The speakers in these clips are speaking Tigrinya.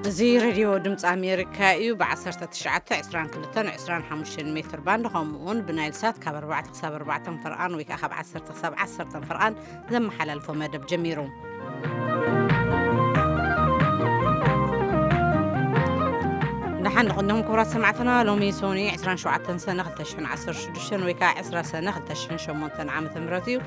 እዚ ሬድዮ ድምፂ ኣሜሪካ እዩ። ብ19፣ 22፣ 25 ሜትር ባንድ፣ ከምኡ እውን ብናይል ሳት ካብ ኣርባዕተ ክሳብ ኣርባዕተ ፈርቓን ወይ ከዓ ካብ ዓሰርተ ክሳብ ዓሰርተ ፈርቓን ዘመሓላልፎ መደብ ጀሚሩ። ደሓን ንቕንድኹም ክቡራት ሰማዕትና። ሎሚ ሶኒ 27 ሰነ 2016 ወይ ከዓ 20 ሰነ 2008 ዓመተ ምህረት እዩ።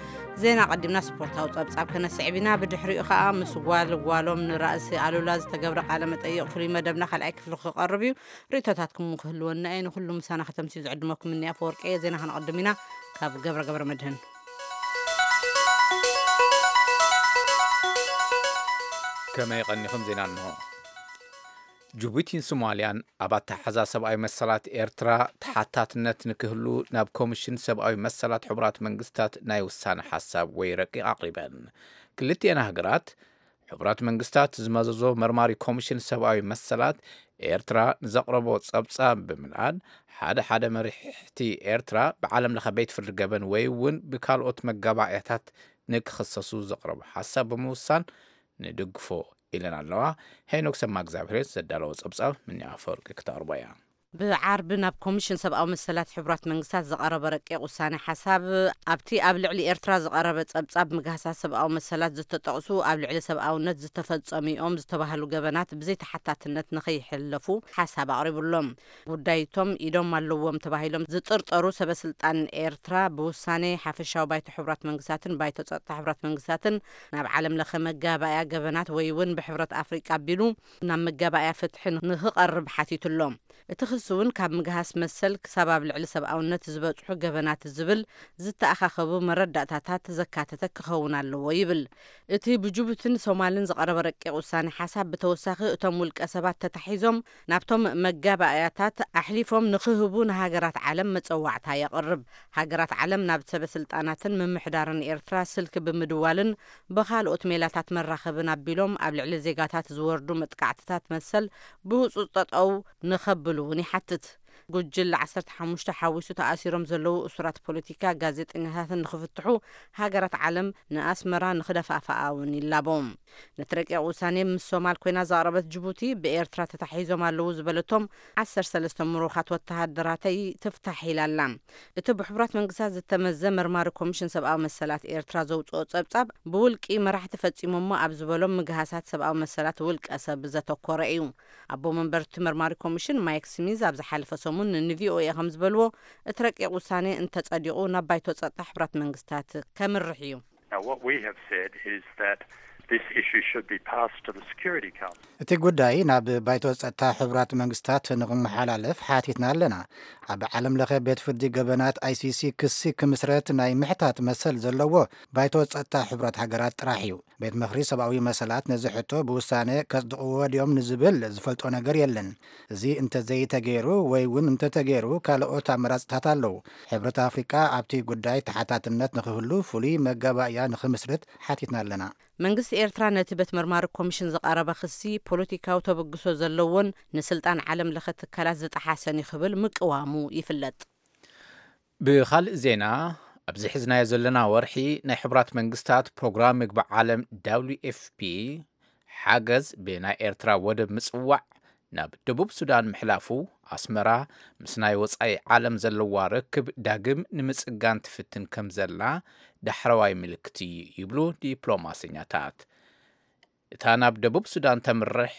ዜና ቀዲምና ስፖርታዊ ጸብጻብ ከነስዕብ ኢና። ብድሕሪኡ ኸኣ ምስ ጓል ጓሎም ንራእሲ ኣሉላ ዝተገብረ ቃለ መጠይቕ ፍሉይ መደብና ካልኣይ ክፍሊ ክቐርብ እዩ። ርእይቶታትኩም ክህልወና እየ። ንኹሉ ምሳና ከተምስዩ ዝዕድመኩም እኒ ኣፈወርቂ እየ። ዜና ከነቐድም ኢና። ካብ ገብረ ገብረ መድህን። ከመይ ቀኒኹም? ዜና እንሆ። ጅቡቲን ሶማልያን ኣብ ኣተሓሕዛ ሰብኣዊ መሰላት ኤርትራ ተሓታትነት ንክህሉ ናብ ኮሚሽን ሰብኣዊ መሰላት ሕቡራት መንግስታት ናይ ውሳነ ሓሳብ ወይ ረቂቕ ኣቕሪበን። ክልቲኤን ሃገራት፣ ሕቡራት መንግስታት ዝመዘዞ መርማሪ ኮሚሽን ሰብኣዊ መሰላት ኤርትራ ንዘቕረቦ ጸብጻብ ብምልዓል፣ ሓደ ሓደ መሪሕቲ ኤርትራ ብዓለም ለኸ ቤት ፍርዲ ገበን ወይ እውን ብካልኦት መጋባእያታት ንክኽሰሱ ዘቕረቦ ሓሳብ ብምውሳን ንድግፎ ኢለን ኣለዋ። ሄኖክ ሰማ እግዚኣብሔር ዘዳለዎ ጸብጻብ ምንያ ኣፈወርቂ ክተቕርቦ እያ። ብዓርቢ ናብ ኮሚሽን ሰብኣዊ መሰላት ሕቡራት መንግስታት ዝቐረበ ረቂቕ ውሳነ ሓሳብ፣ ኣብቲ ኣብ ልዕሊ ኤርትራ ዝቐረበ ጸብጻብ ምግሃሳት ሰብኣዊ መሰላት ዝተጠቕሱ ኣብ ልዕሊ ሰብኣውነት ዝተፈጸሙ እዮም ዝተባህሉ ገበናት ብዘይተሓታትነት ንኸይሕለፉ ሓሳብ ኣቕሪቡሎም። ጉዳይቶም ኢዶም ኣለዎም ተባሂሎም ዝጥርጠሩ ሰበ ስልጣን ኤርትራ ብውሳኔ ሓፈሻዊ ባይቶ ሕቡራት መንግስታትን ባይቶ ጸጥታ ሕቡራት መንግስታትን ናብ ዓለም ለኸ መጋባእያ ገበናት ወይ እውን ብሕብረት ኣፍሪቃ ኣቢሉ ናብ መጋባእያ ፍትሒ ንክቐርብ ሓቲቱሎም። እቲ ክሲ እውን ካብ ምግሃስ መሰል ክሳብ ኣብ ልዕሊ ሰብኣውነት ዝበጽሑ ገበናት ዝብል ዝተኣኻኸቡ መረዳእታታት ዘካተተ ክኸውን ኣለዎ ይብል። እቲ ብጅቡትን ሶማልን ዝቐረበ ረቂቕ ውሳኔ ሓሳብ ብተወሳኺ እቶም ውልቀ ሰባት ተታሒዞም ናብቶም መጋባእያታት ኣሕሊፎም ንክህቡ ንሃገራት ዓለም መጸዋዕታ የቕርብ። ሃገራት ዓለም ናብ ሰበ ስልጣናትን ምምሕዳርን ኤርትራ ስልኪ ብምድዋልን ብኻልኦት ሜላታት መራኸብን ኣቢሎም ኣብ ልዕሊ ዜጋታት ዝወርዱ መጥቃዕትታት መሰል ብህጹጽ ጠጠው ንኸብሉ እውን ይሓትት። ጉጅለ 15 ሓዊሱ ተኣሲሮም ዘለዉ እሱራት ፖለቲካ፣ ጋዜጠኛታትን ንኽፍትሑ ሃገራት ዓለም ንኣስመራ ንኽደፋፍኣ እውን ይላቦ። ነቲ ረቂቕ ውሳኔ ምስ ሶማል ኮይና ዘቕረበት ጅቡቲ፣ ብኤርትራ ተታሒዞም ኣለዉ ዝበለቶም 13 ምሩኻት ወተሃደራተይ ትፍታሕ ኢላ ኣላ። እቲ ብሕቡራት መንግስታት ዝተመዘ መርማሪ ኮሚሽን ሰብኣዊ መሰላት ኤርትራ ዘውፅኦ ጸብጻብ፣ ብውልቂ መራሕቲ ፈጺሞሞ ኣብ ዝበሎም ምግሃሳት ሰብኣዊ መሰላት ውልቀ ሰብ ዘተኮረ እዩ። ኣቦ መንበር እቲ መርማሪ ኮሚሽን ማይክ ስሚዝ ኣብ ዝሓለፈ ሰሙን ንቪኦኤ ከም ዝበልዎ፣ እቲ ረቂቕ ውሳኔ እንተጸዲቑ ናብ ባይቶ ጸጥታ ሕቡራት መንግስታት ከምርሕ እዩ። Now, what we have said is that this issue should be passed to the Security Council. እቲ ጉዳይ ናብ ባይቶ ጸጥታ ሕቡራት መንግስታት ንኽመሓላለፍ ሓቲትና ኣለና። ኣብ ዓለም ለኸ ቤት ፍርዲ ገበናት፣ ኣይሲሲ፣ ክሲ ክምስረት ናይ ምሕታት መሰል ዘለዎ ባይቶ ጸጥታ ሕቡራት ሃገራት ጥራሕ እዩ። ቤት ምኽሪ ሰብኣዊ መሰላት ነዚ ሕቶ ብውሳነ ከጽድቕዎ ድዮም ንዝብል ዝፈልጦ ነገር የለን። እዚ እንተዘይተገይሩ ወይ እውን እንተተገይሩ ካልኦት ኣመራጽታት ኣለዉ። ሕብረት ኣፍሪቃ ኣብቲ ጉዳይ ተሓታትነት ንኽህሉ ፍሉይ መጋባእያ ንኽምስርት ሓቲትና ኣለና። መንግስቲ ኤርትራ ነቲ ቤት መርማሪ ኮሚሽን ዝቐረበ ክሲ ፖለቲካዊ ተበግሶ ዘለዎን ንስልጣን ዓለም ለኸ ትካላት ዝጠሓሰን እዩ ክብል ምቅዋሙ ይፍለጥ። ብኻልእ ዜና፣ ኣብዚ ሒዝናዮ ዘለና ወርሒ ናይ ሕቡራት መንግስታት ፕሮግራም ምግቢ ዓለም፣ ደብሊው ኤፍ ፒ፣ ሓገዝ ብናይ ኤርትራ ወደብ ምጽዋዕ ናብ ደቡብ ሱዳን ምሕላፉ፣ ኣስመራ ምስ ናይ ወጻኢ ዓለም ዘለዋ ርክብ ዳግም ንምጽጋን ትፍትን ከም ዘላ ዳሕረዋይ ምልክት እዩ ይብሉ ዲፕሎማሰኛታት። እታ ናብ ደቡብ ሱዳን ተምርሕ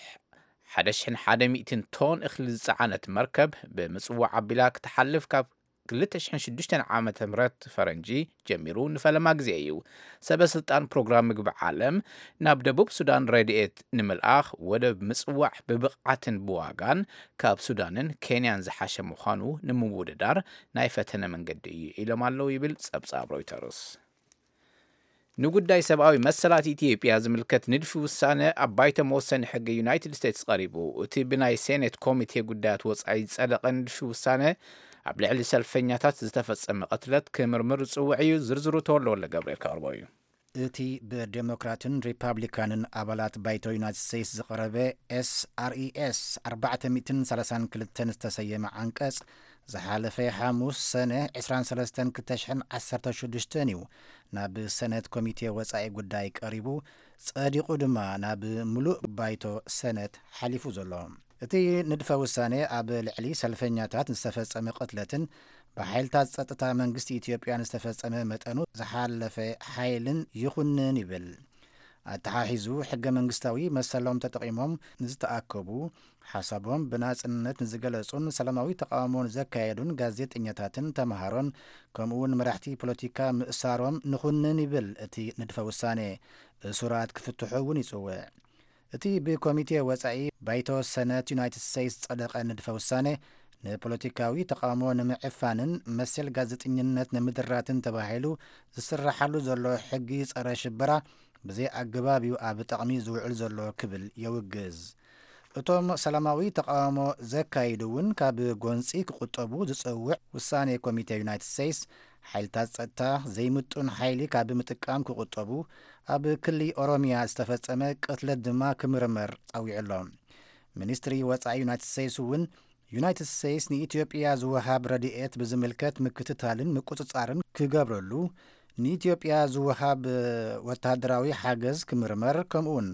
1,100 ቶን እኽሊ ዝጸዓነት መርከብ ብምጽዋዕ ኣቢላ ክትሓልፍ ካብ 2006 ዓመተ ምህረት ፈረንጂ ጀሚሩ ንፈለማ ግዜ እዩ። ሰበ ስልጣን ፕሮግራም ምግቢ ዓለም፣ ናብ ደቡብ ሱዳን ረድኤት ንምልኣኽ ወደብ ምጽዋዕ ብብቕዓትን ብዋጋን ካብ ሱዳንን ኬንያን ዝሓሸ ምዃኑ ንምውድዳር ናይ ፈተነ መንገዲ እዩ ኢሎም ኣለዉ ይብል ጸብጻብ ሮይተርስ። ንጉዳይ ሰብኣዊ መሰላት ኢትዮጵያ ዝምልከት ንድፊ ውሳነ ኣብ ባይቶ መወሰኒ ሕጊ ዩናይትድ ስቴትስ ቀሪቡ። እቲ ብናይ ሴኔት ኮሚቴ ጉዳያት ወጻኢ ዝጸደቐ ንድፊ ውሳነ፣ ኣብ ልዕሊ ሰልፈኛታት ዝተፈጸመ ቅትለት ክምርምር ዝጽውዕ እዩ። ዝርዝሩ ተወልደ ወልደ ገብርኤል ከቕርቦ እዩ። እቲ ብዴሞክራትን ሪፓብሊካንን ኣባላት ባይቶ ዩናይትድ ስቴትስ ዝቐረበ ኤስኣርኢኤስ 432 ዝተሰየመ ዓንቀጽ፣ ዝሓለፈ ሓሙስ ሰነ ዕስራን ሰለስተን ክልተ ሽሕን ዓሰርተ ሽዱሽተን እዩ ናብ ሰነት ኮሚቴ ወጻኢ ጉዳይ ቀሪቡ፣ ጸዲቑ ድማ ናብ ምሉእ ባይቶ ሰነት ሓሊፉ ዘሎ። እቲ ንድፈ ውሳኔ ኣብ ልዕሊ ሰልፈኛታት ዝተፈጸመ ቅትለትን ብሓይልታት ጸጥታ መንግስቲ ኢትዮጵያን ዝተፈጸመ መጠኑ ዝሓለፈ ሓይልን ይኹንን ይብል። ኣተሓሒዙ፣ ሕገ መንግስታዊ መሰሎም ተጠቒሞም ንዝተኣከቡ፣ ሓሳቦም ብናጽነት ንዝገለጹን ሰላማዊ ተቓውሞ ንዘካየዱን ጋዜጠኛታትን ተምሃሮን፣ ከምኡውን መራሕቲ ፖለቲካ ምእሳሮም ንኹንን ይብል እቲ ንድፈ ውሳኔ። እሱራት ክፍትሑ እውን ይጽውዕ። እቲ ብኮሚቴ ወጻኢ ባይቶ ሰነት ዩናይትድ ስቴትስ ዝጸደቐ ንድፈ ውሳኔ፣ ንፖለቲካዊ ተቓውሞ ንምዕፋንን መሰል ጋዜጠኝነት ንምድራትን ተባሂሉ ዝስራሓሉ ዘሎ ሕጊ ጸረ ሽበራ ብዘይ ኣገባብ እዩ ኣብ ጥቕሚ ዝውዕል ዘሎ ክብል የውግዝ። እቶም ሰላማዊ ተቓውሞ ዘካይዱ እውን ካብ ጎንጺ ክቑጠቡ ዝጸውዕ ውሳኔ ኮሚቴ ዩናይትድ ስቴትስ፣ ሓይልታት ጸጥታ ዘይምጡን ሓይሊ ካብ ምጥቃም ክቑጠቡ፣ ኣብ ክሊ ኦሮሚያ ዝተፈጸመ ቅትለት ድማ ክምርመር ጸዊዑ ኣሎ። ሚኒስትሪ ወጻኢ ዩናይትድ ስቴትስ እውን ዩናይትድ ስቴትስ ንኢትዮጵያ ዝወሃብ ረድኤት ብዝምልከት ምክትታልን ምቁጽጻርን ክገብረሉ፣ ንኢትዮጵያ ዝወሃብ ወተሃደራዊ ሓገዝ ክምርመር፣ ከምኡውን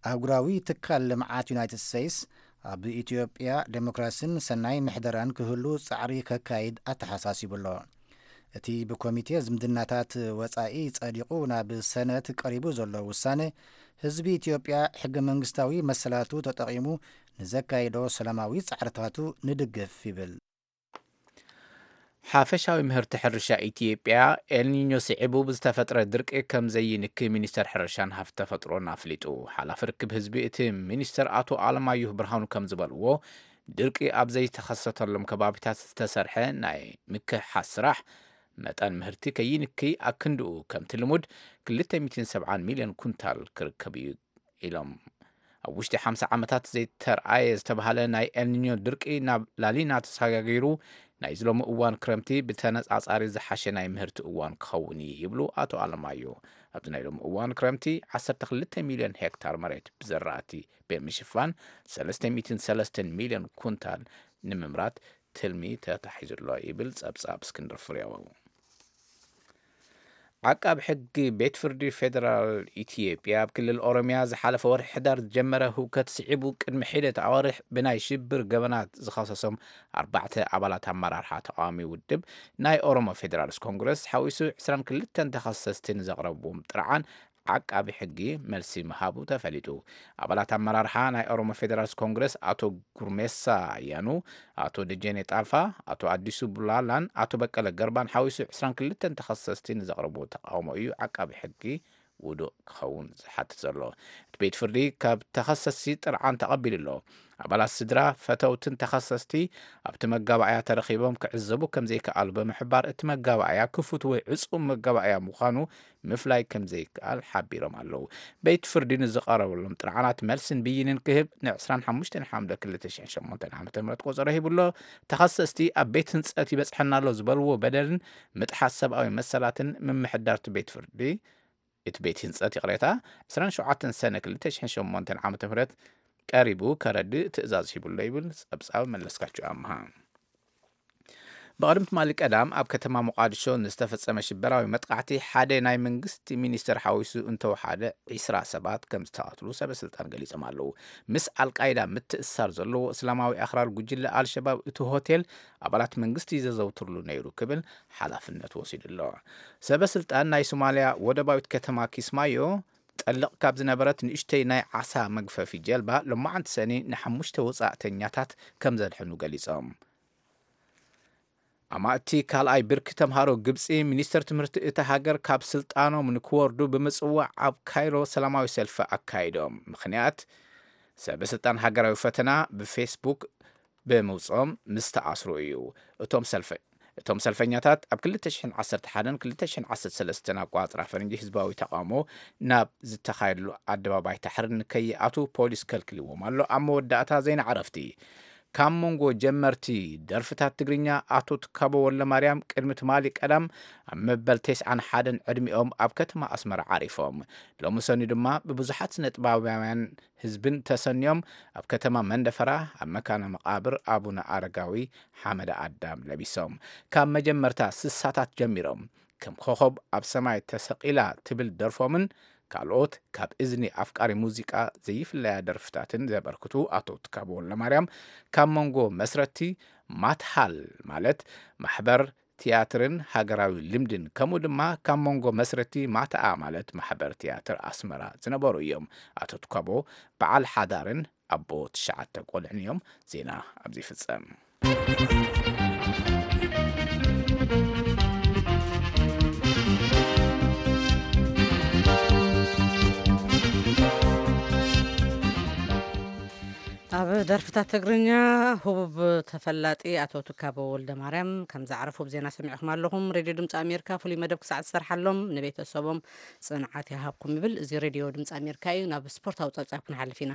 ኣህጉራዊ ትካል ልምዓት ዩናይትድ ስቴትስ ኣብ ኢትዮጵያ ዴሞክራሲን ሰናይ ምሕደራን ክህሉ ጻዕሪ ከካይድ ኣተሓሳሲቡ ኣሎ። እቲ ብኮሚቴ ዝምድናታት ወጻኢ ጸዲቑ ናብ ሰነት ቀሪቡ ዘሎ ውሳነ፣ ህዝቢ ኢትዮጵያ ሕገ መንግስታዊ መሰላቱ ተጠቒሙ ንዘካይዶ ሰላማዊ ጻዕርታቱ ንድግፍ ይብል። ሓፈሻዊ ምህርቲ ሕርሻ ኢትዮጵያ ኤልኒኞ ስዒቡ ብዝተፈጥረ ድርቂ ከም ዘይንኪ ሚኒስተር ሕርሻን ሃፍቲ ተፈጥሮን ኣፍሊጡ። ሓላፊ ርክብ ህዝቢ እቲ ሚኒስተር ኣቶ ኣለማየሁ ብርሃኑ ከም ዝበልዎ፣ ድርቂ ኣብ ዘይተኸሰተሎም ከባቢታት ዝተሰርሐ ናይ ምክሕሓስ ስራሕ፣ መጠን ምህርቲ ከይንኪ ኣክንድኡ ከምቲ ልሙድ ክልተ ሚእትን ሰብዓን ሚልዮን ኩንታል ክርከብ እዩ ኢሎም። ኣብ ውሽጢ ሓምሳ ዓመታት ዘይተርኣየ ዝተባህለ ናይ ኤልኒኞ ድርቂ ናብ ላሊና ተሰጋጊሩ፣ ናይዚ ሎሚ እዋን ክረምቲ ብተነጻጻሪ ዝሓሸ ናይ ምህርቲ እዋን ክኸውን እዩ ይብሉ ኣቶ ኣለማዮ። ኣብዚ ናይ ሎሚ እዋን ክረምቲ ዓሰርተ ክልተ ሚልዮን ሄክታር መሬት ብዘራእቲ ብምሽፋን ሰለስተ ሚእትን ሰለስተን ሚልዮን ኩንታል ንምምራት ትልሚ ተታሒዙ ኣሎ ይብል ጸብጻብ እስክንድር ፍሬው። ዓቃብ ሕጊ ቤት ፍርዲ ፌደራል ኢትዮጵያ ኣብ ክልል ኦሮሚያ ዝሓለፈ ወርሒ ሕዳር ዝጀመረ ህውከት ስዒቡ ቅድሚ ሒደት ኣዋርሕ ብናይ ሽብር ገበናት ዝኸሰሶም ኣርባዕተ ኣባላት ኣመራርሓ ተቃዋሚ ውድብ ናይ ኦሮሞ ፌደራልስ ኮንግረስ ሓዊሱ ዕስራን ክልተን ተኸሰስቲ ንዘቕረብዎም ጥርዓን ዓቃቢ ሕጊ መልሲ ምሃቡ ተፈሊጡ። ኣባላት ኣመራርሓ ናይ ኦሮሞ ፌደራልስ ኮንግረስ ኣቶ ጉርሜሳ ኣያኑ፣ ኣቶ ደጀኔ ጣፋ፣ ኣቶ ኣዲሱ ቡላላን ኣቶ በቀለ ገርባን ሓዊሱ ዕስራን ክልተን ተኸሰስቲ ንዘቕረብዎ ተቃውሞ እዩ ዓቃቢ ሕጊ ውዱእ ክኸውን ዝሓትት ዘሎ። እቲ ቤት ፍርዲ ካብ ተኸሰስቲ ጥርዓን ተቐቢሉ ኣሎ። ኣባላት ስድራ፣ ፈተውትን ተኸሰስቲ ኣብቲ መጋባእያ ተረኺቦም ክዕዘቡ ከም ዘይከኣሉ ብምሕባር፣ እቲ መጋባእያ ክፉት ወይ ዕጹም መጋባእያ ምዃኑ ምፍላይ ከም ዘይከኣል ሓቢሮም ኣለዉ። ቤት ፍርዲ ንዝቐረበሎም ጥርዓናት መልስን ብይንን ክህብ ን ዕስራን ሓሙሽተን ሓምለ ክልተ ሽሕን ሸሞንተን ዓመተ ምህረት ቆጸሮ ሂቡ ኣሎ። ተኸሰስቲ ኣብ ቤት ህንጸት ይበጽሐና ኣሎ ዝበልዎ በደልን ምጥሓስ ሰብኣዊ መሰላትን ምምሕዳር እቲ ቤት ፍርዲ፣ እቲ ቤት ህንጸት፣ ይቕሬታ፣ ዕስራን ሸውዓተን ሰነ ክልተ ሽሕን ሸሞንተን ዓመተ ምህረት ቀሪቡ ከረድእ ትእዛዝ ሂቡ ኣሎ ይብል ጸብጻብ መለስካቸው ኣምሃ። ብቐደም ትማሊ ቀዳም ኣብ ከተማ ሞቓዲሾ ንዝተፈጸመ ሽበራዊ መጥቃዕቲ ሓደ ናይ መንግስቲ ሚኒስተር ሓዊሱ እንተወሓደ ዒስራ ሰባት ከም ዝተቐትሉ ሰበ ስልጣን ገሊጾም ኣለዉ። ምስ ኣልቃይዳ ምትእስሳር ዘለዎ እስላማዊ ኣኽራሪ ጉጅለ ኣልሸባብ እቲ ሆቴል ኣባላት መንግስቲ ዘዘውትርሉ ነይሩ ክብል ሓላፍነት ወሲዱ ኣሎ። ሰበ ስልጣን ናይ ሶማልያ ወደባዊት ከተማ ኪስማዮ ጠልቕ ካብ ዝነበረት ንእሽተይ ናይ ዓሳ መግፈፊ ጀልባ ሎማዓንቲ ሰኒ ንሓሙሽተ ወጻእተኛታት ከም ዘድሐኑ ገሊጾም። ኣማእቲ ካልኣይ ብርኪ ተምሃሮ ግብጺ፣ ሚኒስተር ትምህርቲ እታ ሃገር ካብ ስልጣኖም ንክወርዱ ብምጽዋዕ ኣብ ካይሮ ሰላማዊ ሰልፊ ኣካይዶም። ምኽንያት፣ ሰበ ስልጣን ሃገራዊ ፈተና ብፌስቡክ ብምውጽኦም ምስ ተኣስሩ እዩ። እቶም ሰልፈ-፣ እቶም ሰልፈኛታት ኣብ ክልተ ሽሕን ዓሰርተ ሓደን ክልተ ሽሕን ዓሰርተ ሰለስተን ኣቋጽራ ፈረንጂ ህዝባዊ ተቃውሞ ናብ ዝተኻየደሉ ኣደባባይ ታሕሪር ንከይኣቱ ፖሊስ ከልክልዎም ኣሎ። ኣብ መወዳእታ ዜና ዕረፍቲ። ካብ መንጎ ጀመርቲ ደርፍታት ትግርኛ ኣቶ ትካቦ ወልደማርያም ቅድሚ ትማሊ ቀዳም ኣብ መበል ተስዓን ሓደን ዕድሚኦም ኣብ ከተማ ኣስመራ ዓሪፎም። ሎሚ ሰኑይ ድማ ብብዙሓት ስነ ጥበባውያን ህዝብን ተሰንዮም ኣብ ከተማ መንደፈራ ኣብ መካነ መቓብር ኣቡነ ኣረጋዊ ሓመደ ኣዳም ለቢሶም። ካብ መጀመርታ ስሳታት ጀሚሮም ከም ኮኸብ ኣብ ሰማይ ተሰቒላ ትብል ደርፎምን ካልኦት ካብ እዝኒ ኣፍቃሪ ሙዚቃ ዘይፍለያ ደርፍታትን ዘበርክቱ ኣቶ ትካቦ ወልደማርያም፣ ካብ መንጎ መስረቲ ማትሃል ማለት ማሕበር ትያትርን ሃገራዊ ልምድን፣ ከምኡ ድማ ካብ መንጎ መስረቲ ማትኣ ማለት ማሕበር ትያትር ኣስመራ ዝነበሩ እዮም። ኣቶ ትካቦ በዓል ሓዳርን ኣቦ ትሽዓተ ቆልዕን እዮም። ዜና ኣብዚ ይፍጸም። ኣብ ደርፍታት ትግርኛ ህቡብ ተፈላጢ ኣቶ ትካቦ ወልደ ማርያም ከም ዝዓረፉ ብዜና ሰሚዕኹም ኣለኹም። ሬድዮ ድምፂ ኣሜሪካ ፍሉይ መደብ ክሳዕ ዝሰርሓሎም ንቤተሰቦም ጽንዓት ይሃብኩም ይብል። እዚ ሬድዮ ድምፂ ኣሜሪካ እዩ። ናብ ስፖርታዊ ጸብጻብ ክንሓልፍ ኢና።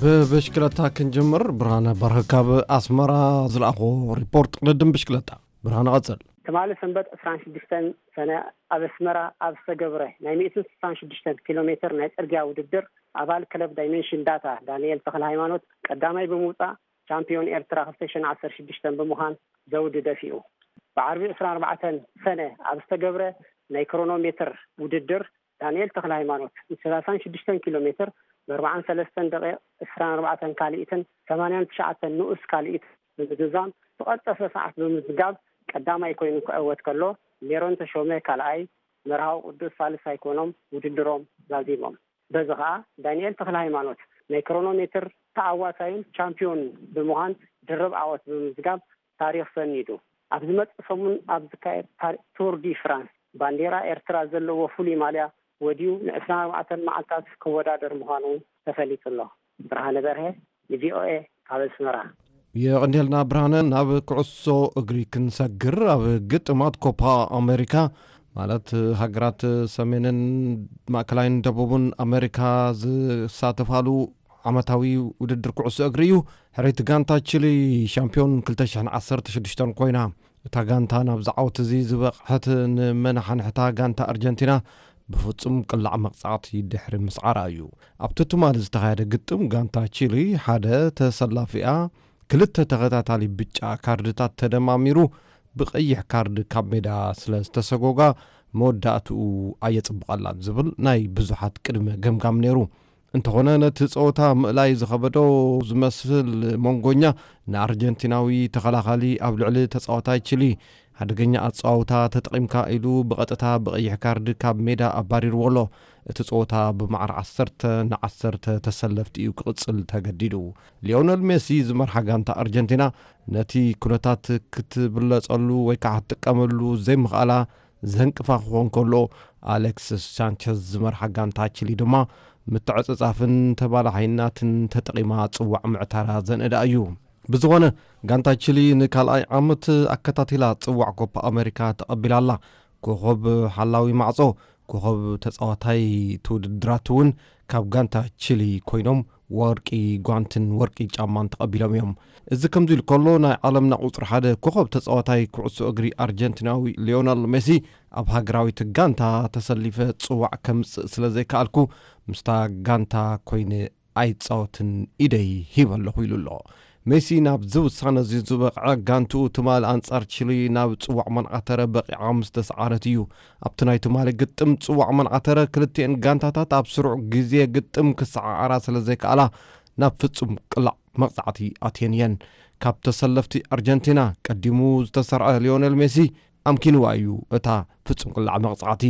ብብሽክለታ ክንጅምር። ብርሃነ በርሀ ካብ ኣስመራ ዝለኣኾ ሪፖርት ቅድድም ብሽክለታ። ብርሃነ ቀጽል። ትማሊ ሰንበት ዕስራን ሽዱሽተን ሰነ ኣብ ኣስመራ ኣብ ዝተገብረ ናይ ሚእትን ስሳን ሽዱሽተን ኪሎ ሜትር ናይ ጽርግያ ውድድር ኣባል ክለብ ዳይሜንሽን ዳታ ዳንኤል ተኽለ ሃይማኖት ቀዳማይ ብምውጻእ ቻምፒዮን ኤርትራ ክልተ ሽሕን ዓሰርተ ሽዱሽተን ብምዃን ዘውዲ ደፊኡ። ብዓርቢ ዕስራን ኣርባዕተን ሰነ ኣብ ዝተገብረ ናይ ክሮኖ ሜትር ውድድር ዳንኤል ተኽለ ሃይማኖት ንሰላሳን ሽዱሽተን ኪሎ ሜትር ብኣርባዓን ሰለስተን ደቂቕ ዕስራን ኣርባዕተን ካልኢትን ሰማንያን ትሽዓተን ንኡስ ካልኢት ብምዝዛም ዝቐልጠፈ ሰዓት ብምዝጋብ ቀዳማይ ኮይኑ ክዕወት ከሎ፣ ሜሮን ተሾመ ካልኣይ፣ መርሃዊ ቅዱስ ሳልሳይ ኮይኖም ውድድሮም ዛዚሞም። በዚ ኸኣ ዳንኤል ተኽለ ሃይማኖት ናይ ክሮኖ ሜትር ተዓዋታይን ቻምፒዮን ብምዃን ድርብ ዓወት ብምምዝጋብ ታሪኽ ሰኒዱ። ኣብ ዝመጽእ ሰሙን ኣብ ዝካየድ ታሪ-፣ ቱር ዲ ፍራንስ ባንዴራ ኤርትራ ዘለዎ ፍሉይ ማልያ ወዲዩ ንዕስራን ኣርባዕተን መዓልታት ክወዳደር ምዃኑ ተፈሊጡ ኣሎ። ብርሃነ በርሀ ንቪኦኤ ካብ ኣስመራ። የቐንየልና ብርሃነ። ናብ ኩዕሶ እግሪ ክንሰግር። ኣብ ግጥማት ኮፓ ኣሜሪካ ማለት ሃገራት ሰሜንን ማእከላይን ደቡብን ኣሜሪካ ዝሳተፋሉ ዓመታዊ ውድድር ኩዕሶ እግሪ እዩ። ሕርይቲ ጋንታ ቺሊ ሻምፒዮን ክልተ ሽሕን ዓሰርተ ሽዱሽተን ኮይና። እታ ጋንታ ናብዚ ዓወት እዚ ዝበቕሐት ንመናሓንሕታ ጋንታ ኣርጀንቲና ብፍጹም ቅላዕ መቕጻዕቲ ድሕሪ ምስዓራ እዩ። ኣብቲ ትማሊ ዝተኻየደ ግጥም ጋንታ ቺሊ ሓደ ተሰላፊኣ ክልተ ተኸታታሊ ብጫ ካርድታት ተደማሚሩ ብቐይሕ ካርድ ካብ ሜዳ ስለ ዝተሰጎጋ መወዳእትኡ ኣየጽብቐላን ዝብል ናይ ብዙሓት ቅድመ ገምጋም ነይሩ። እንተኾነ ነቲ ጸወታ ምእላይ ዝኸበዶ ዝመስል መንጎኛ ንኣርጀንቲናዊ ተኸላኻሊ ኣብ ልዕሊ ተጻዋታይ ቺሊ ሓደገኛ ኣጸዋውታ ተጠቒምካ ኢሉ ብቐጥታ ብቐይሕ ካርድ ካብ ሜዳ ኣባሪርዎ ኣሎ። እቲ ጸወታ ብማዕረ ዓሰርተ ንዓሰርተ ተሰለፍቲ እዩ ክቕጽል ተገዲዱ። ሊዮነል ሜሲ ዝመርሓ ጋንታ ኣርጀንቲና ነቲ ኩነታት ክትብለጸሉ ወይ ከዓ ክትጥቀመሉ ዘይምኽኣላ ዘንቅፋ ክኾን ከሎ፣ ኣሌክስስ ሳንቸዝ ዝመርሓ ጋንታ ቺሊ ድማ ምትዕጽጻፍን ተባላሓይናትን ተጠቒማ ጽዋዕ ምዕታራ ዘንእዳ እዩ። ብዝኾነ፣ ጋንታ ቺሊ ንካልኣይ ዓመት ኣከታቲላ ጽዋዕ ኮፓ ኣሜሪካ ተቐቢላ ኣላ። ኮኸብ ሓላዊ ማዕጾ፣ ኮኸብ ተጻዋታይ እቲ ውድድራት እውን ካብ ጋንታ ቺሊ ኮይኖም ወርቂ ጓንትን ወርቂ ጫማን ተቐቢሎም እዮም። እዚ ከምዚ ኢሉ ከሎ፣ ናይ ዓለምና ቁጽሪ ሓደ ኮኸብ ተጻዋታይ ኩዕሶ እግሪ ኣርጀንቲናዊ ሊዮነል ሜሲ ኣብ ሃገራዊት ጋንታ ተሰሊፈ ጽዋዕ ከምጽእ ስለ ዘይከኣልኩ፣ ምስታ ጋንታ ኮይነ ኣይጻወትን፣ ኢደይ ሂበ ኣለኹ ኢሉ ኣሎ። ሜሲ ናብዚ ውሳነ እዚ ዝበቕዐ፣ ጋንትኡ ትማሊ ኣንጻር ቺሊ ናብ ጽዋዕ መንዓተረ በቒዓ ምስ ተሰዓረት እዩ። ኣብቲ ናይ ትማሊ ግጥም ጽዋዕ መንዓተረ ክልቲኤን ጋንታታት ኣብ ስሩዕ ግዜ ግጥም ክሰዓዓራ ስለ ዘይከኣላ ናብ ፍጹም ቅላዕ መቕጻዕቲ ኣትየን እየን። ካብ ተሰለፍቲ ኣርጀንቲና ቀዲሙ ዝተሰርዐ ሊዮኔል ሜሲ ኣምኪንዋ እዩ እታ ፍጹም ቅላዕ መቕጻዕቲ።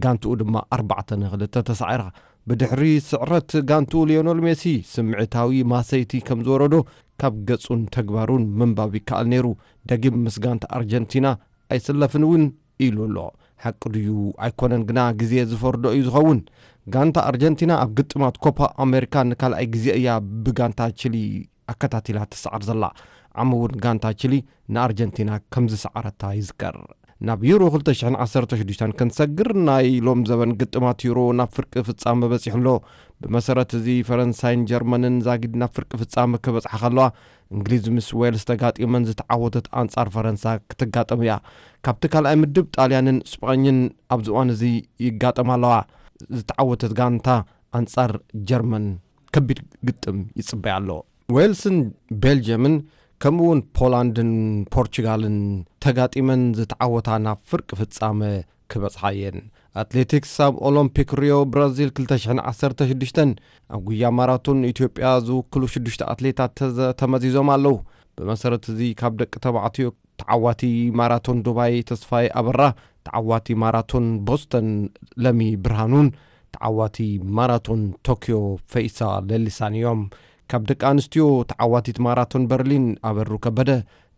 ጋንትኡ ድማ ኣርባዕተ ንክልተ ተሳዒራ። ብድሕሪ ስዕረት ጋንትኡ ሊዮኔል ሜሲ ስምዒታዊ ማሰይቲ ከም ዝወረዶ ካብ ገጹን ተግባሩን ምንባብ ይከኣል ነይሩ። ደጊም ምስ ጋንታ ኣርጀንቲና ኣይስለፍን እውን ኢሉ ኣሎ። ሓቂ ድዩ ኣይኮነን ግና ግዜ ዝፈርዶ እዩ ዝኸውን። ጋንታ ኣርጀንቲና ኣብ ግጥማት ኮፓ ኣሜሪካ ንካልኣይ ግዜ እያ ብጋንታ ቺሊ ኣከታቲላ ትሰዓር ዘላ። ዓሚ እውን ጋንታ ቺሊ ንኣርጀንቲና ከም ዝሰዓረታ ይዝከር። ናብ ዩሮ ክልተ ሽሕን ዓሰርተ ሽዱሽተን ክንሰግር፣ ናይ ሎም ዘበን ግጥማት ዩሮ ናብ ፍርቂ ፍጻመ በጺሑ ኣሎ። ብመሰረት እዚ፣ ፈረንሳይን ጀርመንን ዛጊድ ናብ ፍርቂ ፍጻመ ክበጽሓ ከለዋ፣ እንግሊዝ ምስ ዌልስ ተጋጢመን ዝተዓወተት ኣንጻር ፈረንሳ ክትጋጠም እያ። ካብቲ ካልኣይ ምድብ፣ ጣልያንን ስጳኝን ኣብዚ እዋን እዚ ይጋጠማ ኣለዋ። ዝተዓወተት ጋንታ ኣንጻር ጀርመን ከቢድ ግጥም ይጽበያ ኣሎ። ዌልስን ቤልጅየምን ከምኡ እውን ፖላንድን ፖርቹጋልን ተጋጢመን ዝተዓወታ ናብ ፍርቂ ፍጻመ ክበጽሓ እየን። ኣትሌቲክስ፣ ኣብ ኦሎምፒክ ሪዮ ብራዚል ክልተ ሽሕን ዓሰርተ ሽዱሽተን ኣብ ጉያ ማራቶን ኢትዮጵያ ዝውክሉ ሽዱሽተ ኣትሌታት ተዘ-፣ ተመዚዞም ኣለዉ። ብመሰረት እዚ፣ ካብ ደቂ ተባዕትዮ ተዓዋቲ ማራቶን ዱባይ ተስፋይ ኣበራ፣ ተዓዋቲ ማራቶን ቦስተን ለሚ ብርሃኑን ተዓዋቲ ማራቶን ቶኪዮ ፈይሳ ለሊሳን እዮም። ካብ ደቂ ኣንስትዮ፣ ተዓዋቲት ማራቶን በርሊን ኣበሩ ከበደ፣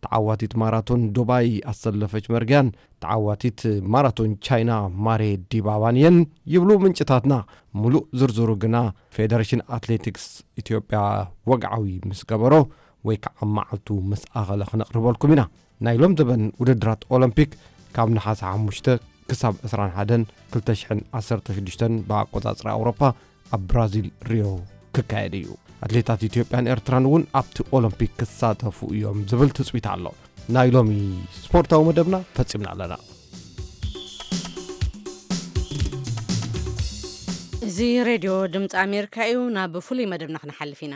ተዓዋቲት ማራቶን ዱባይ ኣሰለፈች መርጊያን፣ ተዓዋቲት ማራቶን ቻይና ማሬ ዲባባን እየን ይብሉ ምንጭታትና። ሙሉእ ዝርዝሩ ግና ፌደሬሽን ኣትሌቲክስ ኢትዮጵያ ወግዓዊ ምስ ገበሮ ወይ ከዓ መዓልቱ ምስ ኣኸለ ክነቕርበልኩም ኢና። ናይ ሎም ዘበን ውድድራት ኦሎምፒክ ካብ ነሓሰ ሓሙሽተ ክሳብ ዕስራን ሓደን ክልተ ሽሕን ዓሰርተ ሽዱሽተን ብኣቆጻጽራ ኣውሮፓ ኣብ ብራዚል ሪዮ ክካየድ እዩ። ኣትሌታት ኢትዮጵያን ኤርትራን እውን ኣብቲ ኦሎምፒክ ክሳተፉ እዮም ዝብል ትጽቢት ኣሎ። ናይ ሎሚ ስፖርታዊ መደብና ፈጺምና ኣለና። እዚ ሬድዮ ድምፂ ኣሜሪካ እዩ። ናብ ፍሉይ መደብና ክንሓልፍ ኢና።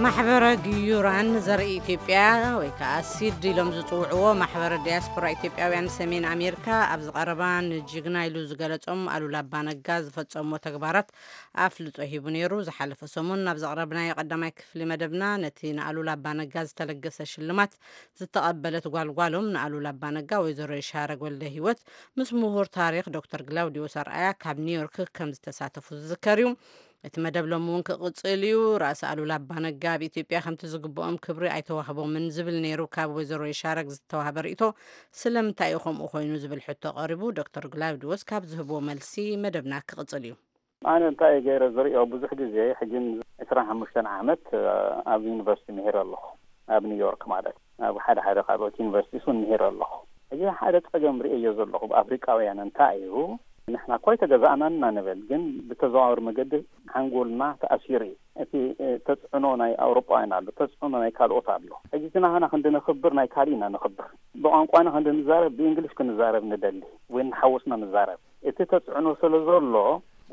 ማሕበረ ግዩራን ዘርኢ ኢትዮጵያ ወይ ከዓ ሲድ ኢሎም ዝፅውዕዎ ማሕበረ ዲያስፖራ ኢትዮጵያውያን ሰሜን ኣሜሪካ ኣብዚ ቀረባ ንጅግና ኢሉ ዝገለጾም ኣሉላ ኣባነጋ ዝፈጸሞ ተግባራት ኣፍልጦ ሂቡ ነይሩ። ዝሓለፈ ሰሙን ናብ ዘቕረብናዮ ቀዳማይ ክፍሊ መደብና ነቲ ንኣሉላ ኣባነጋ ዝተለገሰ ሽልማት ዝተቐበለት ጓልጓሎም ንኣሉላ ኣባነጋ ወይዘሮ ይሻረግ ወልደ ህይወት ምስ ምሁር ታሪኽ ዶክተር ግላውዲዮስ ኣርኣያ ካብ ኒውዮርክ ከም ዝተሳተፉ ዝዝከር እዩ። እቲ መደብ ሎሚ እውን ክቕጽል እዩ። ራእሲ ኣሉላ ኣባነጋ ኣብ ኢትዮጵያ ከምቲ ዝግብኦም ክብሪ ኣይተዋህቦምን ዝብል ነይሩ። ካብ ወይዘሮ ይሻረግ ዝተዋህበ ርእይቶ ስለምንታይ እዩ ከምኡ ኮይኑ ዝብል ሕቶ ቀሪቡ። ዶክተር ግላውዲዮስ ካብ ዝህብዎ መልሲ መደብና ክቕጽል እዩ። ኣነ እንታይ ገይረ ዝርእዮ፣ ብዙሕ ግዜ ሕጂ ዕስራን ሓሙሽተን ዓመት ኣብ ዩኒቨርሲቲ ምሂረ ኣለኹ፣ ኣብ ኒውዮርክ ማለት፣ ኣብ ሓደ ሓደ ካልኦት ዩኒቨርሲቲስ እውን ምሂረ ኣለኹ። ሕጂ ሓደ ጸገም ርእየዮ ዘለኹ፣ ኣብ ኣፍሪቃውያን እንታይ እዩ፣ ንሕና እኮ ኣይተገዛእናን ኢና ንብል፣ ግን ብተዘዋወሪ መገዲ ሓንጎልና ተኣሲሩ እዩ። እቲ ተጽዕኖ ናይ ኣውሮጳውያን ኣሎ፣ ተጽዕኖ ናይ ካልኦት ኣሎ። ሕጂ እቲ ናህና ክንዲ ነኽብር ናይ ካልእ ኢና ነኽብር። ብቋንቋና ክንዲ ንዛረብ ብእንግሊሽ ክንዛረብ ንደሊ ወይ ንሓወስና ንዛረብ። እቲ ተጽዕኖ ስለ ዘሎ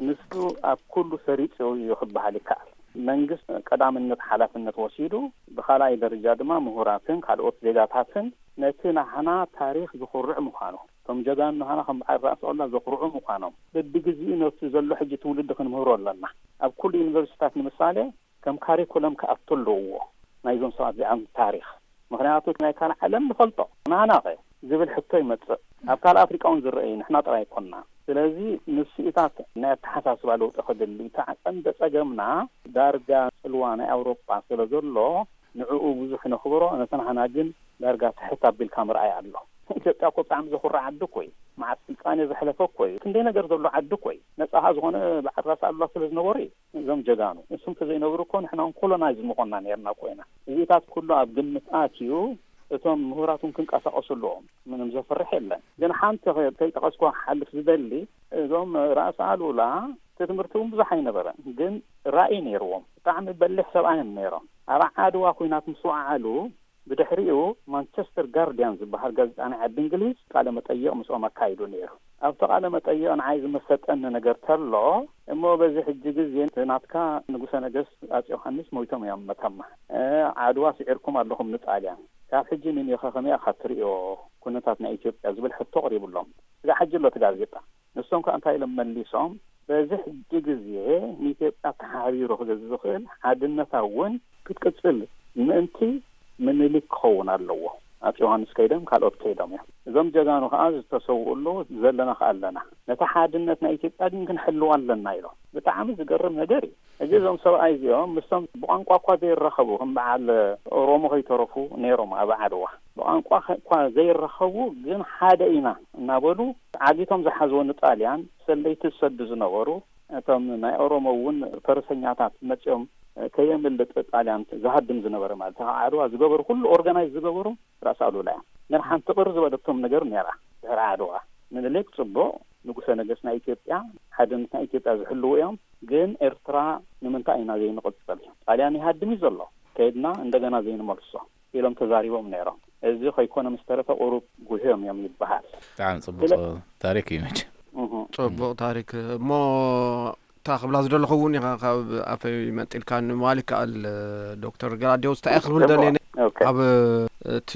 ንሱ ኣብ ኩሉ ሰሪጹ እዩ ክበሃል ይከኣል። መንግስት ቀዳምነት ሓላፍነት ወሲዱ፣ ብኻልኣይ ደረጃ ድማ ምሁራትን ካልኦት ዜጋታትን ነቲ ናህና ታሪኽ ዝኹርዕ ምዃኑ፣ እቶም ጀጋኑ ናህና ከም በዓል ራእሲ ኣሉላ ዘኹርዑ ምዃኖም በብግዜኡ ነቲ ዘሎ ሕጂ ትውልዲ ክንምህሮ ኣለና። ኣብ ኩሉ ዩኒቨርሲቲታት ንምሳሌ ከም ካሪኩለም ክኣቱ ኣለዎ ናይዞም ሰባት እዚኣም ታሪኽ። ምኽንያቱ ናይ ካልእ ዓለም ንፈልጦ፣ ናህናኸ ዝብል ሕቶ ይመጽእ። ኣብ ካልእ ኣፍሪቃ እውን ዝረአ እዩ፣ ንሕና ጥራይ ኣይኮንና። ስለዚ ንስኢታት ናይ ኣተሓሳስባ ለውጢ ክድሊ፣ እቲ ቀንዲ ጸገምና ዳርጋ ጽልዋ ናይ ኣውሮጳ ስለ ዘሎ ንዕኡ ብዙሕ ነኽብሮ፣ ነቲ ናህና ግን ዳርጋ ትሕት ኣቢልካ ምርኣይ ኣሎ። ኢትዮጵያ እኮ ብጣዕሚ ዘኹርዕ ዓዲ እኮ እዩ። መዓት ስልጣኔ ዘሕለፈ እኮ እዩ። ክንደይ ነገር ዘሎ ዓዲ እኮ እዩ። ነጻ ዝኾነ በዓል ራስ ኣሉላ ስለ ዝነበሩ እዩ። እዞም ጀጋኑ እሱም ተዘይነብሩ እኮ ንሕና እውን ኮሎናይዝ ምኾንና ነርና እኮ ኢና። እዚታት ኩሉ ኣብ ግምት ኣትዩ እቶም ምሁራት እውን ክንቀሳቀሱ ኣለዎም። ምንም ዘፍርሕ የለን። ግን ሓንቲ ከ-፣ ከይጠቀስኩ ክሓልፍ ዝደሊ፣ እዞም ራእሲ ኣሉላ እቲ ትምህርቲ እውን ብዙሕ ኣይነበረን፣ ግን ራእይ ነይርዎም። ብጣዕሚ በሊሕ ሰብኣይ እዮም ነይሮም። ኣብ ዓድዋ ኩናት ምስ ወዓሉ ብድሕሪኡ ማንቸስተር ጋርዲያን ዝበሃል ጋዜጣ ናይ ዓዲ እንግሊዝ ቃለ መጠይቕ ምስኦም ኣካይዱ ነይሩ። ኣብቲ ቃለ መጠይቕ ንዓይ ዝመሰጠኒ ነገር ተሎ፣ እሞ በዚ ሕጂ ግዜ እቲ ናትካ ንጉሰ ነገስት ኣፄ ዮሃንስ ሞይቶም እዮም መተማ። እ፣ ዓድዋ ስዒርኩም ኣለኹም ንጣልያን። ካብ ሕጂ ንኒዮኸ ከመይ ኢኻ ትርእዮ ኩነታት ናይ ኢትዮጵያ ዝብል ሕቶ ቀሪቡሎም። ስጋዕ ሕጂ ኣሎ እቲ ጋዜጣ። ንሶም ከኣ እንታይ ኢሎም መሊሶም? በዚ ሕጂ ግዜ ንኢትዮጵያ ተሓቢሩ ክገዝእ ዝኽእል ሓድነታ እውን ክትቅጽል ምእንቲ ምኒልክ ክኸውን ኣለዎ። ኣፄ ዮሃንስ ከይዶም ካልኦት ከይዶም እዮም። እዞም ጀጋኑ ከኣ ዝተሰውኡ ኣለዉ፣ ዘለና ከኣ ኣለና። ነታ ሓድነት ናይ ኢትዮጵያ ግን ክንሕልዋ ኣለና ኢሎም። ብጣዕሚ ዝገርም ነገር እዩ። ሕጂ እዞም ሰብኣይ እዚኦም ምስቶም ብቋንቋ እኳ ዘይራኸቡ፣ ከም በዓል ኦሮሞ ከይተረፉ ነይሮም ኣብ ዓድዋ። ብቋንቋ ከ-፣ እኳ ዘይራኸቡ ግን ሓደ ኢና እናበሉ ዓጊቶም ዝሓዝዎ ንጣልያን ሰለይቲ ዝሰዱ ዝነበሩ እቶም ናይ ኦሮሞ እውን ፈረሰኛታት መጺኦም ከየምልጥ ጣልያን ዝሃድም ዝነበረ ማለት፣ ዓድዋ ዝገበሩ ኩሉ ኦርጋናይዝ ዝገበሩ ራስ ኣሉላ እዮም። ግን ሓንቲ ቅር ዝበለቶም ነገር ነይራ። ድሕሪ ዓድዋ ምኒልክ ጽቡቕ፣ ንጉሰ ነገስት ናይ ኢትዮጵያ፣ ሓድነት ናይ ኢትዮጵያ ዝሕልዉ እዮም። ግን ኤርትራ ንምንታይ ኢና ዘይንቕጽል? ጣልያን ይሃድም እዩ ዘሎ፣ ከይድና እንደገና ዘይንመልሶ ኢሎም ተዛሪቦም ነይሮም። እዚ ከይኮነ ምስ ተረፈ ቁሩብ ጉህዮም እዮም ይበሃል። ብጣዕሚ ጽቡቕ ስለ- ታሪክ እዩ መቸም። እህ። ጽቡቕ ታሪክ። እሞ እታ ክብላ ዝደለኹ እውን ኢኻ ካብ ኣፈይ መንጢልካ ንምባል ይከኣል። ዶክተር ገላዲዮስ እንታይ ክብል ደልየ፣ ኦኬ። ኣብ እቲ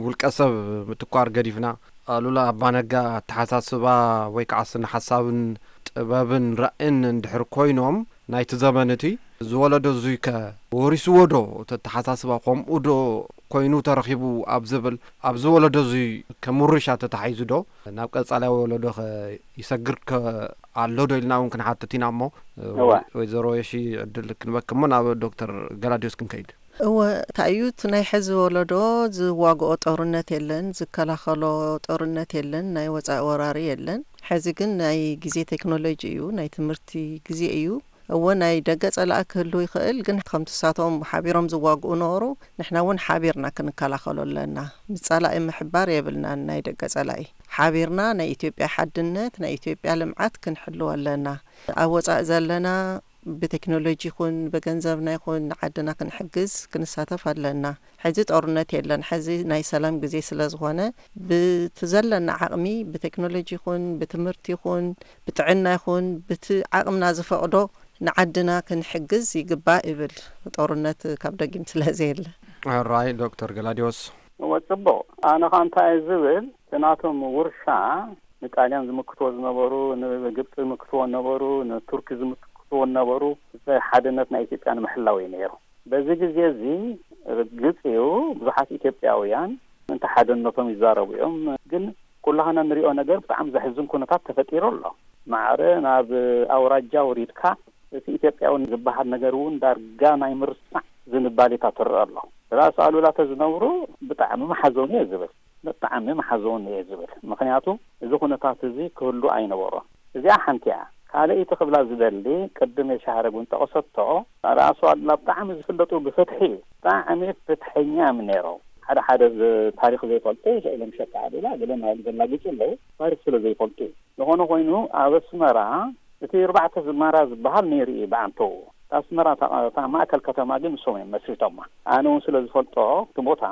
ውልቀ ሰብ ምትኳር ገዲፍና፣ ኣሉላ ኣባነጋ ኣተሓሳስባ ወይ ከዓ ስነ ሓሳብን ጥበብን ራእን እንድሕር ኮይኖም፣ ናይቲ ዘመን እቲ ዝወለዶ እዙይ ከ ወሪስዎ ዶ? እቲ ኣተሓሳስባ ከምኡ ዶ ኮይኑ ተረኺቡ ኣብ ዝብል፣ ኣብዚ ወለዶ እዙይ ከምውርሻ ተታሒዙ ዶ ናብ ቀጻላይ ወለዶ ከ ይሰግር ከ ኣሎ ዶ ኢልና እውን ክንሓትት ኢና። እሞ እወ። ወይዘሮ የሺ ዕድል ክንበክሞ ናብ ዶክተር ገላዲዮስ ክንከይድ። እወ፣ እንታይ እዩ እቲ ናይ ሕዚ ወለዶ ዝዋግኦ ጦርነት የለን፣ ዝከላኸሎ ጦርነት የለን፣ ናይ ወፃኢ ወራሪ የለን። ሕዚ ግን ናይ ግዜ ቴክኖሎጂ እዩ፣ ናይ ትምህርቲ ግዜ እዩ። እወ፣ ናይ ደገ ፀላኢ ክህሉ ይኽእል፣ ግን ከምቲ ንሳቶም ሓቢሮም ዝዋግኡ ነበሩ፣ ንሕና እውን ሓቢርና ክንከላኸሎ ኣለና። ምስ ፀላኢ ምሕባር የብልናን። ናይ ደገ ፀላኢ ሓቢርና ናይ ኢትዮጵያ ሓድነት፣ ናይ ኢትዮጵያ ልምዓት ክንሕልዎ ኣለና። ኣብ ወፃኢ ዘለና ብቴክኖሎጂ ይኹን ብገንዘብና ይኹን ንዓድና ክንሕግዝ ክንሳተፍ ኣለና። ሕዚ ጦርነት የለን። ሕዚ ናይ ሰላም ግዜ ስለ ዝኾነ፣ ብቲ ዘለና ዓቕሚ፣ ብቴክኖሎጂ ይኹን ብትምህርቲ ይኹን ብጥዕና ይኹን ብቲ ዓቕምና ዝፈቕዶ ንዓድና ክንሕግዝ ይግባእ ይብል። ጦርነት ካብ ደጊም ስለ ዘየለ። ሕራይ ዶክተር ገላዲዮስ። እወ፣ ጽቡቕ። ኣነ ኸኣ እንታይ እየ ዝብል፣ እቲ ናቶም ውርሻ ንጣልያን ዝምክትዎ ዝነበሩ፣ ንግብፂ ዝምክትዎ ነበሩ፣ ንቱርኪ ዝምክትዎ ነበሩ፣ እቲ ሓድነት ናይ ኢትዮጵያ ንምሕላው እዩ ነይሩ። በዚ ግዜ እዚ ርግፅ እዩ፣ ብዙሓት ኢትዮጵያውያን ምእንቲ ሓድነቶም ይዛረቡ እዮም። ግን ኩላህና ንሪኦ ነገር ብጣዕሚ ዘሕዝን ኩነታት ተፈጢሩ ኣሎ። ማዕረ ናብ ኣውራጃ ወሪድካ እቲ ኢትዮጵያዊ ዝበሃል ነገር እውን ዳርጋ ናይ ምርሳዕ ዝንባሌታት ትረአ ኣሎ። ራእሲ ኣሉላ ተዝነብሩ ብጣዕሚ ምሓዘኑ እየ ዝብል። ብጣዕሚ ምሓዘኑ እየ ዝብል። ምኽንያቱ እዚ ኩነታት እዚ ክህሉ ኣይነበሮን። እዚኣ ሓንቲ እያ። ካልኣይቲ ክብላ ዝደሊ፣ ቅድም የሻሃረግ እውን ጠቐሰቶ፣ ራእሲ ኣሉላ ብጣዕሚ ዝፍለጡ ብፍትሒ እዩ። ብጣዕሚ ፍትሐኛ እዮም ነይሮም። ሓደ ሓደ ዝ-፣ ታሪኽ ዘይፈልጡ ስእሎም ሸቃ ኣሉላ ገለ ማለት ዘላግጹ ኣለዉ፣ ታሪኽ ስለ ዘይፈልጡ እዩ። ዝኾነ ኮይኑ ኣብ ኣስመራ እቲ ኣርባዕተ ዝማራ ዝበሃል ነይሩ እዩ ብኣንተኡ። እታ ኣስመራ እታ፣ እታ ማእከል ከተማ ግን ንሶም እዮም መስሪቶማ። ኣነ እውን ስለ ዝፈልጦ እቲ ቦታ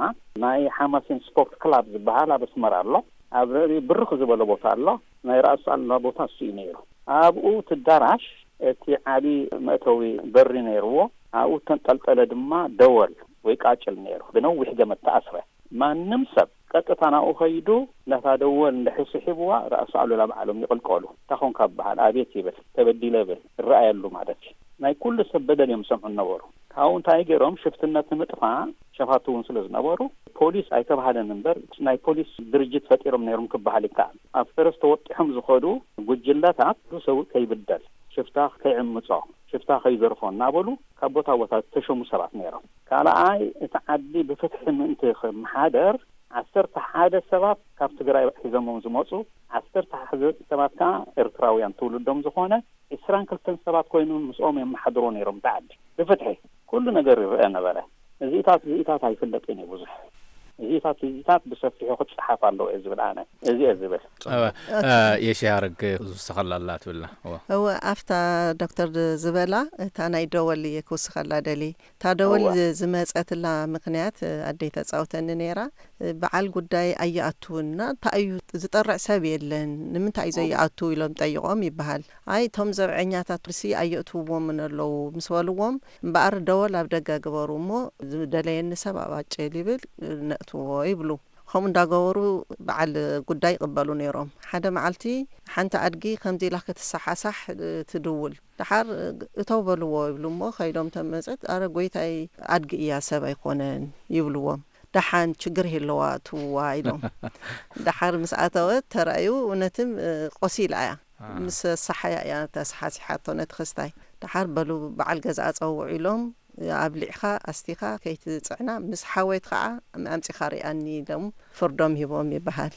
ናይ ሓማሴን ስፖርት ክላብ ዝበሃል ኣብ ኣስመራ ኣሎ። ኣብ ልዕሊ ብርኽ ዝበለ ቦታ ኣሎ። ናይ ራእሲ ኣሉላ ቦታ እሱ እዩ ነይሩ። ኣብኡ እቲ ኣዳራሽ እቲ ዓቢ መእተዊ በሪ ነይርዎ። ኣብኡ እተንጠልጠለ ድማ ደወል ወይ ቃጭል ነይሩ። ብነዊሕ ገመድ ተኣስረ። ማንም ሰብ ቀጥታ ናብኡ ከይዱ ነታ ደወል እንድሕር ስሒብዋ ራእሲ ኣሉላ ባዕሎም ይቕልቀሉ። እንታይ ኾንካ ይበሃል፣ ኣቤት ይብል፣ ተበዲለ ይብል፣ ይረኣየሉ ማለት እዩ። ናይ ኩሉ ሰብ በደል እዮም ዝሰምዑ ነበሩ። ካብኡ እንታይ ገይሮም፣ ሽፍትነት ንምጥፋእ ሸፋቱ እውን ስለ ዝነበሩ ፖሊስ ኣይተባህለን እምበር ናይ ፖሊስ ድርጅት ፈጢሮም ነይሮም ክበሃል ይከኣል። ኣብ ፈረስ ተወጢሖም ዝኸዱ ጉጅለታት ሰብ ከይብደል፣ ሽፍታ ከይዕምጾ፣ ሽፍታ ከይዘርፎ እናበሉ ካብ ቦታ ቦታ ዝተሸሙ ሰባት ነይሮም። ካልኣይ እቲ ዓዲ ብፍትሒ ምእንቲ ክመሓደር ዓሰርተ ሓደ ሰባት ካብ ትግራይ ሒዞሞም ዝመፁ፣ ዓሰርተ ሓደ ሰባት ከዓ ኤርትራውያን ትውልዶም ዝኾነ ዕስራን ክልተን ሰባት ኮይኖም ምስኦም የመሓድሮ ነይሮም እቲ ዓዲ ብፍትሒ። ኩሉ ነገር ይረአ ነበረ። እዚታት እዚታት ኣይፍለጥን እዩ ብዙሕ። እዚታት እዚታት ብሰፊሑ ክፀሓፍ ኣለዎ እየ ዝብል ኣነ። እዚ እየ ዝብል። የሽያርግ ዝውስኸላ ኣላ ትብልና። እወ። እወ፣ ኣብታ ዶክተር ዝበላ እታ ናይ ደወል እየ ክውስኸላ ደሊ። እታ ደወል እወ። ዝ-፣ ዝመጸትላ ምኽንያት፣ ኣደይ ተጻውተኒ ነይራ። በዓል ጉዳይ ኣይኣትውና፣ እንታይ እዩ ዝጠርዕ ሰብ የለን፣ ንምንታይ እዩ ኦ። ዘይኣቱ ኢሎም ጠይቖም ይበሃል። ኣይ፣ እቶም ዘብዐኛታት ሲ ኣየእትውዎምን ኣለዉ ምስ በልዎም፣ እምበኣር ደወል ኣብ ደገ ግበሩ እሞ ዝደለየኒ ሰብ ኣብ ኣጭል ይብል፣ ነእትዎ ይብሉ። ከምኡ እንዳገበሩ በዓል ጉዳይ ይቕበሉ ነይሮም። ሓደ መዓልቲ ሓንቲ ኣድጊ ከምዚ ኢላ ክትሰሓሳሕ ትድውል። ደሓር እተው በልዎ ይብሉ እሞ ከይዶም ተመፅት፣ ኣረ ጎይታይ ኣድጊ እያ ሰብ ኣይኮነን ይብልዎም። ደሓን ችግር የለዋ እትውዋ ኢሎም። ደሓር ምስ ኣተወት ተራእዩ እውነትም ቆሲላ እያ። ምስ ሰሓያ እያ ተሰሓሲሓቶ ነቲ ክስታይ። ደሓር በሉ በዓል ገዛኣ ጸውዑ ኢሎም ኣብሊዕኻ ኣስቲኻ ከይትጽዕና፣ ምስ ሓወይት ከዓ ኣምጺኻ ሪኣኒ ኢሎም ፍርዶም ሂቦም ይበሃል።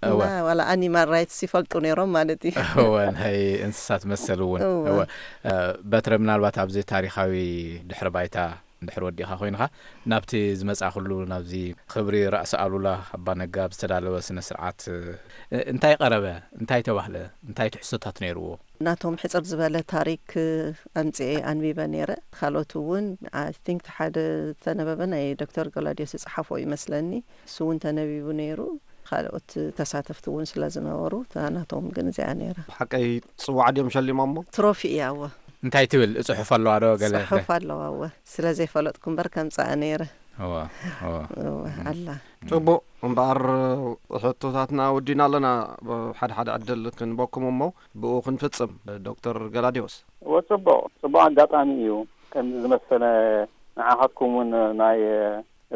እወ። እና ዋላ ኣኒማል ራይትስ ይፈልጡ ነይሮም ማለት እዩ። እወ፣ ናይ እንስሳት መሰል እውን። እወ። እወ። እ፣ በትረ፣ ምናልባት ኣብዚ ታሪኻዊ ድሕሪ ባይታ እንድሕር ወዲእኻ ኮይንኻ፣ ናብቲ ዝመጻእኩሉ፣ ናብዚ ክብሪ ራእሲ ኣሉላ ኣባ ነጋ ኣብ ዝተዳለወ ስነ ስርዓት፣ እ፣ እንታይ ቀረበ? እንታይ ተባህለ? እንታይ ትሕዝቶታት ነይርዎ? ናቶም ሕጽር ዝበለ ታሪክ ኣምጽኤ ኣንቢበ ነይረ። ካልኦት እውን፣ I think፣ ሓደ ዝተነበበ ናይ ዶክተር ገላዲዮስ ዝጸሓፎ ይመስለኒ። እሱ እውን ተነቢቡ ነይሩ። ካልኦት ተሳተፍቲ እውን ስለ ዝነበሩ፣ እታ ናቶም ግን እዚኣ ነይራ። ሓቀይ ጽዋዕ ድዮም ሸሊሞሞ? ትሮፊ እያ፣ እወ። እንታይ ትብል? ጽሑፍ ኣለዋ ዶ ገለ? ጽሑፍ ኣለዋ፣ እወ። ስለ ዘይፈለጥኩ እምበር ከምጽኣ ነይረ። እወ፣ እወ። እወ፣ ኣላ። ጽቡቕ፣ እምበኣር ሕቶታትና ወዲና ኣለና። ሓደ ሓደ ዕድል ክንበኩም እሞ ብኡ ክንፍጽም። ዶክተር ገላዲዮስ። እወ፣ ጽቡቕ፣ ጽቡቕ ኣጋጣሚ እዩ። ከምዚ ዝመሰለ ንዓኻትኩም እውን ናይ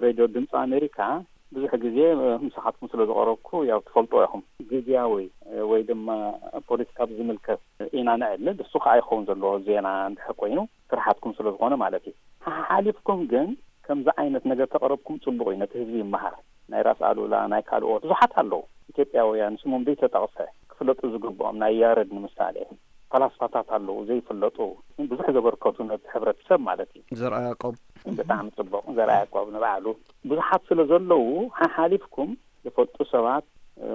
ሬድዮ ድምፂ ኣሜሪካ ብዙሕ ግዜ ምሳኻትኩም ስለ ዝቐረብኩ ያው ትፈልጦ ኢኹም። ግዝያዊ ወይ ድማ ፖለቲካ ብዝምልከት ኢና ነዕልል። እሱ ከዓ ይኸውን ዘለዎ ዜና እንድሕር ኮይኑ ስራሓትኩም ስለ ዝኾነ ማለት እዩ። ሓሓሊፍኩም ግን ከምዚ ዓይነት ነገር ተቐረብኩም ጽቡቕ እዩ፣ ነቲ ህዝቢ ይመሃር። ናይ ራስ ኣሉላ፣ ናይ ካልኦት ብዙሓት ኣለዉ ኢትዮጵያውያን ስሞም ዘይተጠቕሰ ክፍለጡ ዝግብኦም፣ ናይ ያረድ ንምሳሌ። ፈላስፋታት ኣለዉ ዘይፍለጡ፣ ብዙሕ ዘበርከቱ ነቲ ሕብረተሰብ ማለት እዩ። ዘርኣ ያዕቆብ። ብጣዕሚ ጽቡቕ። ዘርኣ ያዕቆብ ንባዕሉ ብዙሓት ስለ ዘለዉ ሓሓሊፍኩም ዝፈልጡ ሰባት፣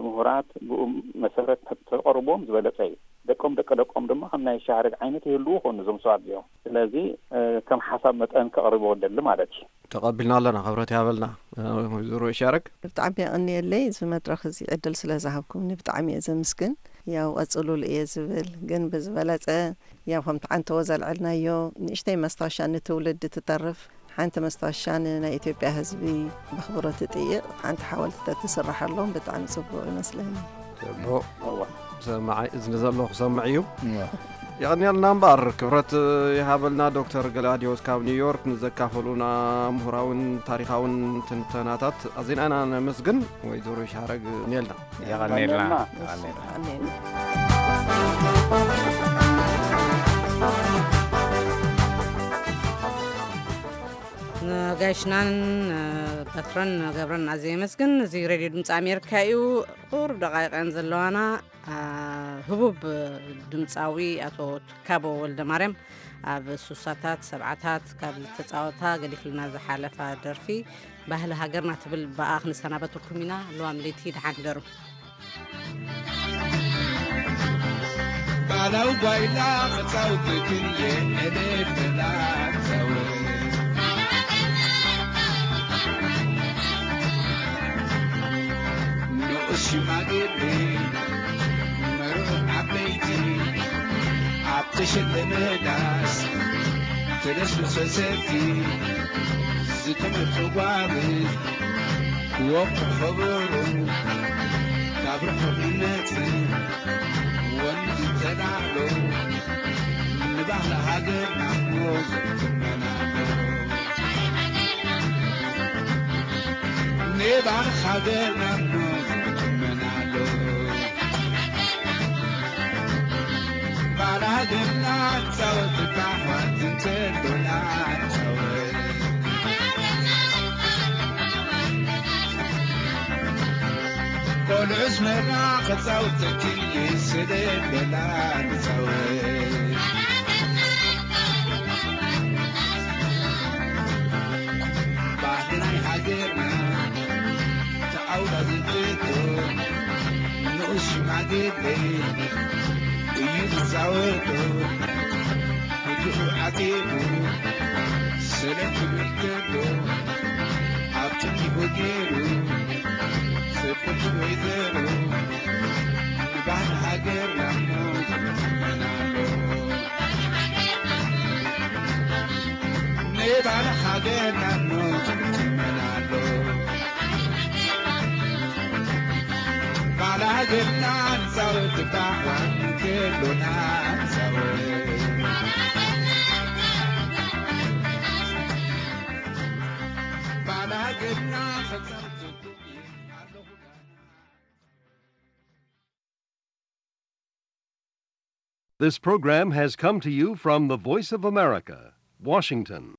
ምሁራት፣ ብኡ መሰረት ተቐርቦም ዝበለጸ እዩ። ደቆም ደቂ ደቆም ድማ ከም ናይ ሻህረግ ዓይነት ይህልዉ ኾኑ እዞም ሰባት እዚኦም። ስለዚ፣ እ፣ ከም ሓሳብ መጠን ከቕርቦ ደሊ ማለት እዩ። ተቐቢልና ኣለና፣ ክብረት ይሃበልና። እ፣ ወይዘሮ ይሻረግ። ብጣዕሚ የቐንየለይ፣ እዚ መድረኽ እዚ ዕድል ስለ ዝሃብኩምኒ ብጣዕሚ እየ ዘምስግን። ያው ቀጽሉሉ እየ ዝብል፣ ግን ብዝበለጸ ያው ከምቲ ዓንተዎ ዘልዐልናዮ ንእሽተይ መስታወሻ ንትውልዲ ትተርፍ ሓንቲ መስታወሻ ንናይ ኢትዮጵያ ህዝቢ ብኣኽብሮት ትጥይቕ ሓንቲ ሓወልቲ ተትስረሓሎም ብጣዕሚ ጽቡቕ ይመስለኒ። ጽቡቕ። እዋ። ሰማዓይ እዝኒ ዘሎ ክሰምዕ እዩ። እዋ። የቐንየልና እምበኣር፣ ክብረት ይሃበልና ዶክተር ገላዲዮስ ካብ ኒውዮርክ ንዘካፈሉና ምሁራውን ታሪኻውን ትንተናታት ኣዚና ኢና ነመስግን። ወይዘሮ ይሻረግ የቐንየልና። የቐንየልና። የቐንየልና። የቐንየልና። ንጋይሽናን በትረን ገብረን ኣዝየ የመስግን። እዚ ሬድዮ ድምፂ ኣሜሪካ እዩ። ቁሩብ ደቃይቀን ዘለዋና፣ አ፣ ህቡብ ድምፃዊ ኣቶ ትካቦ ወልደ ማርያም ኣብ ሱሳታት ሰብዓታት ካብ ዝተፃወታ ገዲፍልና ዝሓለፋ ደርፊ ባህሊ ሃገርና ትብል ብኣ ክንሰናበተኩም ኢና። ለዋም ለይቲ ደሓን ደሩ። ባህላዊ ጓይላ መጻወቲ ክንየ ዕልል በላ ጻወት። ንኡስ ሽማግሌ መርዑ ዓበይቲ ኣብ ተሸለመ ዳስ ተደስሩ ሰሰርቲ ዝተመርሑ ጓል ክወቅዑ ከበሮ ካብ ርሑቕ ይመጽእ ወንዝ ተላዕሎ ንባህሊ ሃገርና እሞ ዝትመናሎ። ንባህሊ ሃገርና እሞ ዝትመናሎ። ባላገና ጻወት ባሕዋት እንተሎና ጻወት። ቆልዑስ መራ ክጻውተኪ ስለ በላ ንጻወት። ባህሊ ናይ ሃገርና ተኣውዳ ዝግቶ ንኡስ ሽማግሌ እዩ ዝጻወቶ። ብድሑ ዓጺቡ ሰለኪ ከሎ ኣብ ጥንቲኡ ገይሩ ሰበይቲ ወይዘሮ ንባህሊ ሃገርና እሞ ዝትመናሎ። ንባህሊ ሃገርና እሞ ዝትመናሎ። ባላገና ንጻወት ባሕዋን ከሎና ንጻወት። ባላገና ክጻወት ኣለኹ። This program has come to you from the Voice of America, Washington.